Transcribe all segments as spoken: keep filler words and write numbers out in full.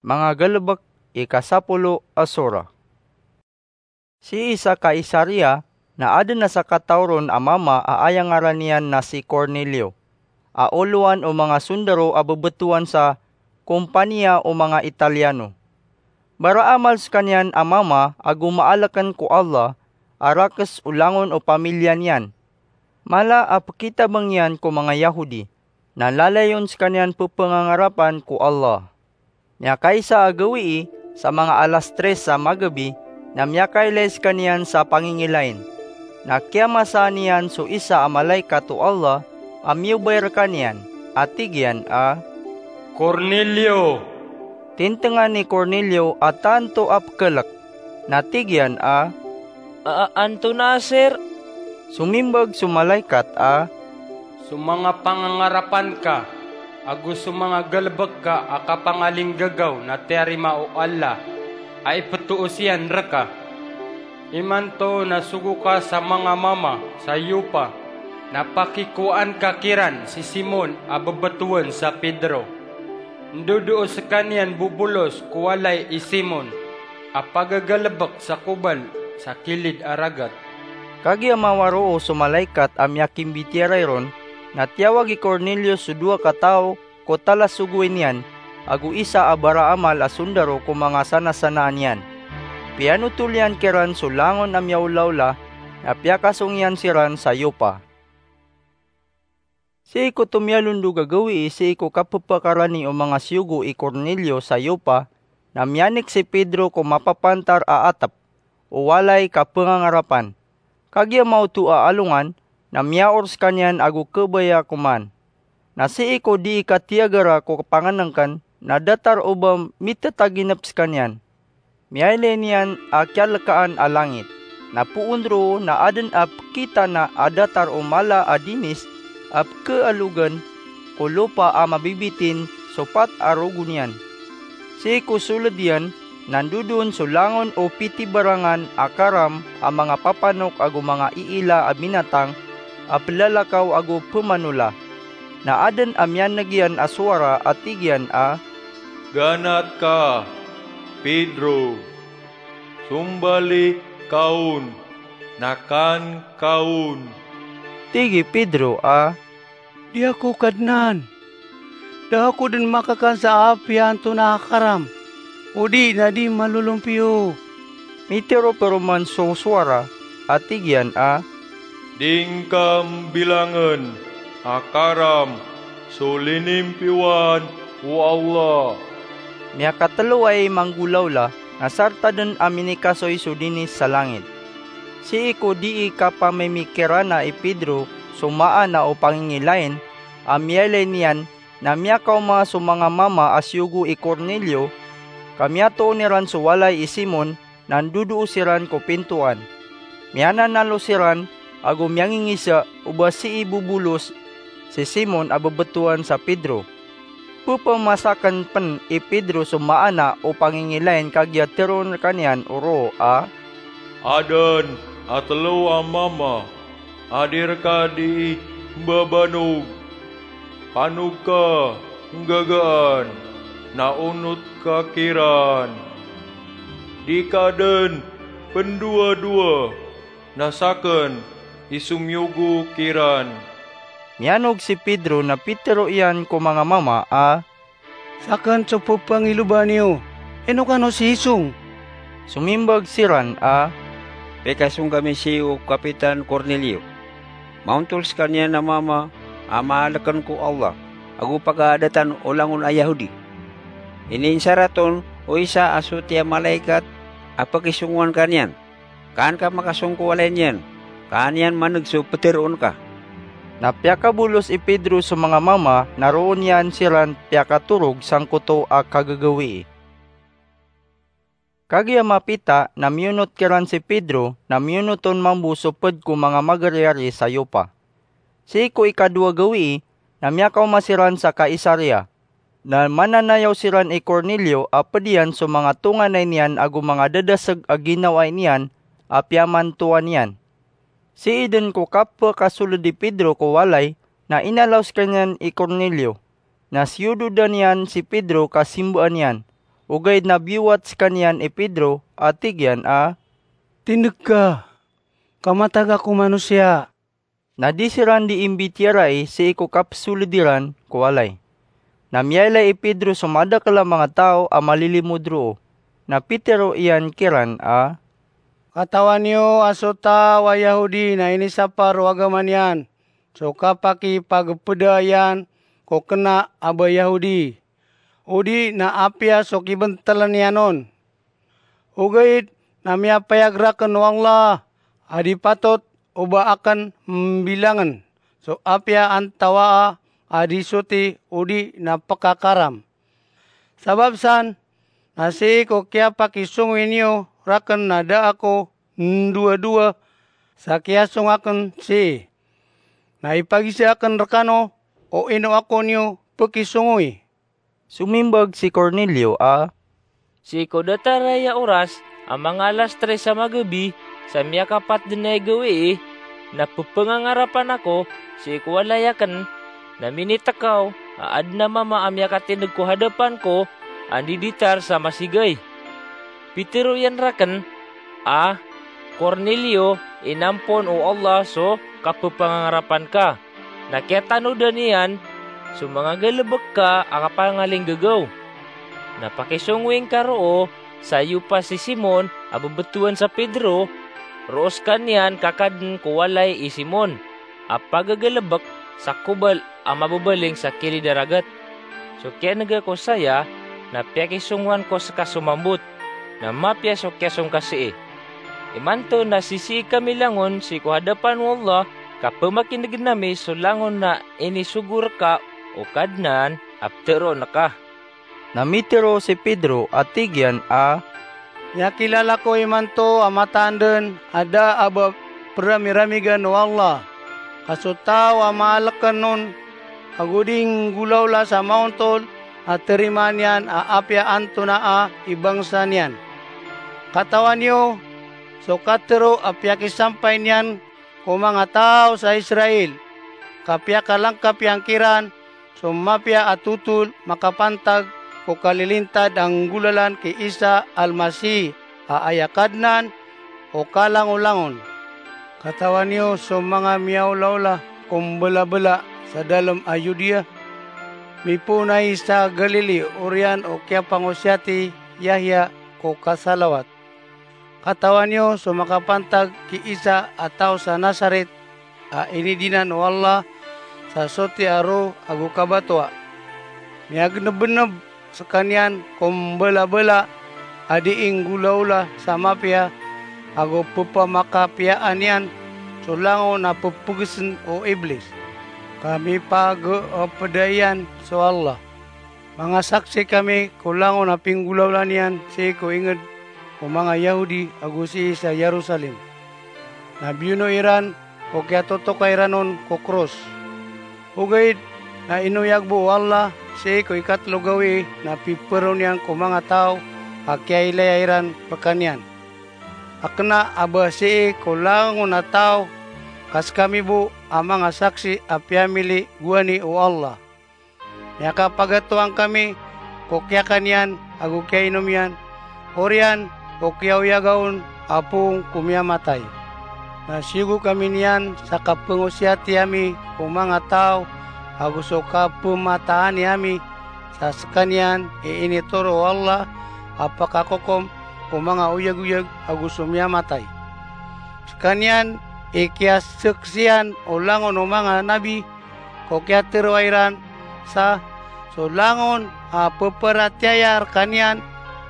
Manga Galebek, ika sapolo a sura. Sii sa Kaisaria na aden a sakataw ron a mama a aya ngaran iyan na si Cornelio, a olowan o manga sondaro a bebetowan sa kompaniya o manga Italiano. Baraamal sekaniyan a mama ago maaleken ko Allah a rakes o langon o pamiliya niyan. Mala a pekitabeng iyan ko manga Yahudi, na lalayon sekaniyan pepengangarapan ko Allah. Miyakaisa a gawii, sa manga alas tres a magabi, na miyakailay sekaniyan sa pangingilain. Na kiyamasaan iyan so isa a malaikat o Allah a miyobay rekaniyan, a tig iyan a, "Cornelio!" Tintengan i Cornelio a tanto a pekelek, na tig iyan a, "A, a, antonaa, sir?" Somimbag so malaikat a, "So manga pangangarapan ka ago so manga galebek ka a kapangalinggagaw na tiyarima o Allah a ipetoos iyan reka. Imanto na sogo ka sa manga mama sa Yopa, na pakikowaan ka kiran si Simon a bebetowan sa Pedro. Ndodoo sekaniyan bobolos ko walay i Simon a pagagalebek sa kobal sa kilid a ragat." Kagiya mawaroo so malaikat a miyakimbitiyarai ron, na tiyawag i Cornelio so dowa ka taw ko talasogoy niyan, ago isa a baraamal a sondaro ko manga sanasanaan iyan. Piyanotol iyan kiran so langon a miyaolaola, na piyakasong iyan siran sa Yopa. Sii ko tomiyalondog a gawii sii ko kapepakarani o manga siyogo i Cornelio sa Yopa, na miyanik si Pedro ko mapapantar a atep o walay kapengangarapan. Kagiya maoto a alongan, na miyaor sekaniyan ago kebaya koman. Na sii ko dii katiyagara ko pangenengken, na datar o ba mitetaginep sekaniyan. Miyailay niyan a kiyalekaan a langit. Na poon roo na aden a pekitana a datar o mala a dinis a pekealogen ko lopa a mabibitin so pat a rogo niyan. Sii ko soled iyan, na ndodon so langon o pitibarangan a karam a manga papanok ago manga iila a binatang a pelalakaw ago pemanola. Na aden a miyaneg iyan a sowara a tig iyan a, "Ganat ka, Pedro. Sombali ka on, na kan ka on." Tig i Pedro a, "Di ako, Kadnan. Da ako den makakan sa apiya antonaa a karam, odi na di malolompiyo." Mitero peroman so sowara a tig iyan a, "Di ngka mbilangen a karam so linimpiyowan o Allah." Miyakatelo ai manggolawla, na sarta den a minikasoy so dinis sa langit. Sii ko dii kapamimikirana i Pedro so maana o pangingilain a miyailay niyan, na miyakaoma so manga mama a siyogo i Cornelio, ka miyatoon iran so walay i Simon, na ndodoo siran ko pintoan. Miyananalo siran ago miyangingisa o ba sii bobolos si Simon a bebetowan sa Pedro. Pepemasaken pen i Pedro so maana o pangingilain kagiya teroon rekaniyan o roo a, "Aden a telo a mama a di reka dii mbabanog. Panog ka nggagaan, na onot ka kiran. Di ka den pendowadowa, na saken i somiyogo kiran." Miyanog si Pedro na pitero iyan ko manga mama a, "Saken so pepangiloba niyo, ino kano sii song?" Somimbag siran a, "Pikasong kami sii o Kapitan Cornelio. Maontol sekaniyan a mama a maaleken ko Allah ago pagaadatan o langon a Yahudi. Iniinsaraton o isa a soti a malaikat a pakisongowan ka niyan. Kaan ka makasong ko walay niyan, ka an iyan maneg so peteroon ka." Na piyakabolos i Pedro so manga mama na roo niyan siran piyakatorog sangkoto a kagagawii. Kagiya mapita na miyonot kiran si Pedro na miyonot on mambo so ped ko manga magariyari sa Yopa. Sii ko ikadowa gawii na miyakaoma siran sa Kaisaria. Na mananayaw siran i Cornelio a ped iyan so manga tonganay niyan ago manga dadaseg a ginawai niyan a piyamantowan iyan. Sii den ko kapekasoled i Pedro ko walay na inalaw sekaniyan i Cornelio. Na siyododan iyan si Pedro ka simbaan iyan. Ogaid na biyowat skaniyan i Pedro a tig iyan a, "Tindeg ka, ka matag ako manosiya." Na di siran di imbitiyarai sii ko kapsoled iran ko walay. Na miyailay i Pedro so madakel a manga taw a malilimod roo. Na pitero iyan kiran a, "Katawan iyo a so taw a Yahudi na inisapar o agama niyan so kapakipagepeda iyan ko kena a ba Yahudi, odi na apiya so kibentelen iyan on. Ogaid na miyapayag raken o Allah a di patot o ba aken mbilangen so apiya antawaa a di soti odi na pekakaram. Sabap san, na sii ko kiyapakisongowi niyo raken na da ako ndowadowa sa kiyasong aken sii. Na ipagisa aken rekano o ino ako niyo pekisongowi." Somimbag si Cornelio a, "Sii ko datar aya oras a manga alas tres a magabi sa miyakapat den aya gawii, na pepangangarapan ako sii ko walay aken, na minitekaw a aden a mama a miyakatindeg ko hadapan ko a ndiditar sa masigay. Pitero iyan raken a, 'Cornelio, inampon o Allah so kapepangangarapan ka, na kiyatanodan iyan so manga galebek ka a kapangalinggagaw. Na pakisongowi ngka roo sa Yopa si Simon a bebetowan sa Pedro, roo sekaniyan kakaden ko walay i Simon a pagagalebek sa kobal a mabebaling sa kilid a ragat. So kiyanega ko saya na piyakisongowan ko seka so mambot, na mapiya so kiyasong ka sii. Imanto na sisii kami langon sii ko hadapan o Allah ka pemakinegen ami so langon a inisogo reka o Kadnan a peteroon ka.'" Na mitero si Pedro a tig iyan a, "Miyakilala ko imanto a mataan den a da a ba peramiramig o Allah, ka so taw a maaleken on ago di nggolawla sa maontol a terimaan iyan a apiya antonaa i bangsa niyan. Katawan iyo so katero a piyakisampay niyan ko manga taw sa Israel, ka piyakalangkap iyan kiran so mapiya a totol makapantag ko kalilintad a nggolalan ki Isa Almasi a aya Kadnan o kalangolangon. Katawan iyo so manga miyaolaola ko mbelabela sa dalem a Yudea, mipoon ai sa Galili oriyan o kiyapangosiyat i Yahya ko kasalawat. Katawan iyo so makapantag ki Isa a taw sa Nasaret a inidinan o Allah sa soti a roo ago kabatoa. Miyagenebeneb sekaniyan ko mbelabela a dii nggolaola sa mapiya, ago pepamakapiyaan iyan so langon a pepegesen o Iblis, ka mipageepeda iyan so Allah. Manga saksi kami ko langon a pinggolaola niyan sii ko inged o manga Yahudi ago sii sa Yerusalem. Na biyono iran ko kiyatotoka iran on ko kros. Ogaid na inoyag bo o Allah sii ko ikatelo gawii na piperoni iyan ko manga taw a kiyailaya iran rekaniyan a kena a ba sii ko langon a taw, ka sekami bo a manga saksi a piyamili gowani o Allah. Miyakapagatoang kami ko kiyakan iyan ago kiyainom iyan, oriyan o kiyaoyaga on a poon ko miyamatay. Na siyogo kami niyan sa kapengosiyati ami ko manga taw ago so kapemataani ami sa sekaniyan i initoro o Allah a pakakokom ko manga oyagoyag ago so miyamatay. Sekaniyan i kiyasaksian o langon o manga nabi, ko kiyateroa iran sa so langon a peparatiyaya rekaniyan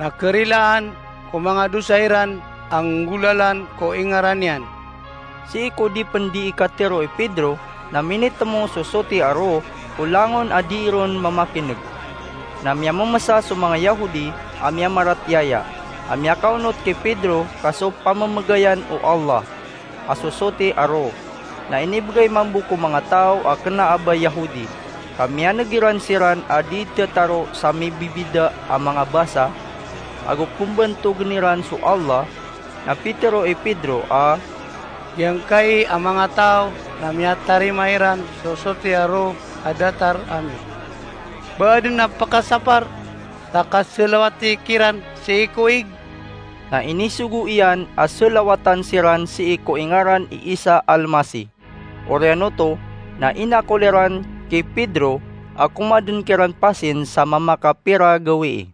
na kerilaan ko manga dosa iran a nggolalan ko ingaran iyan. Sii ko di pen di ikatero i Pedro na minitemo so soti a roo ko langon a dii ron mamakineg. Na miyamemesa so manga Yahudi a miyamaratiyaya a miyakaonot ki Pedro ka so pamemegayan o Allah a so soti a roo na inibegay mambo ko manga taw a kena a ba Yahudi, ka miyaneg iran siran a di tetaro sa mibibida a manga basa, ago pembantogn iran so Allah. Na pitero i Pedro a, "Giyangkai a manga taw na miyatarima iran so soti a roo a datar ami. Ba aden a pekasapar ta kaselawati kiran sii ko ig." Na inisogo iyan a selawatan siran sii ko ingaran i Isa Almasi. Oriyan oto, na inakol iran ki Pedro a komaden kiran pasin sa mamakapira gawii.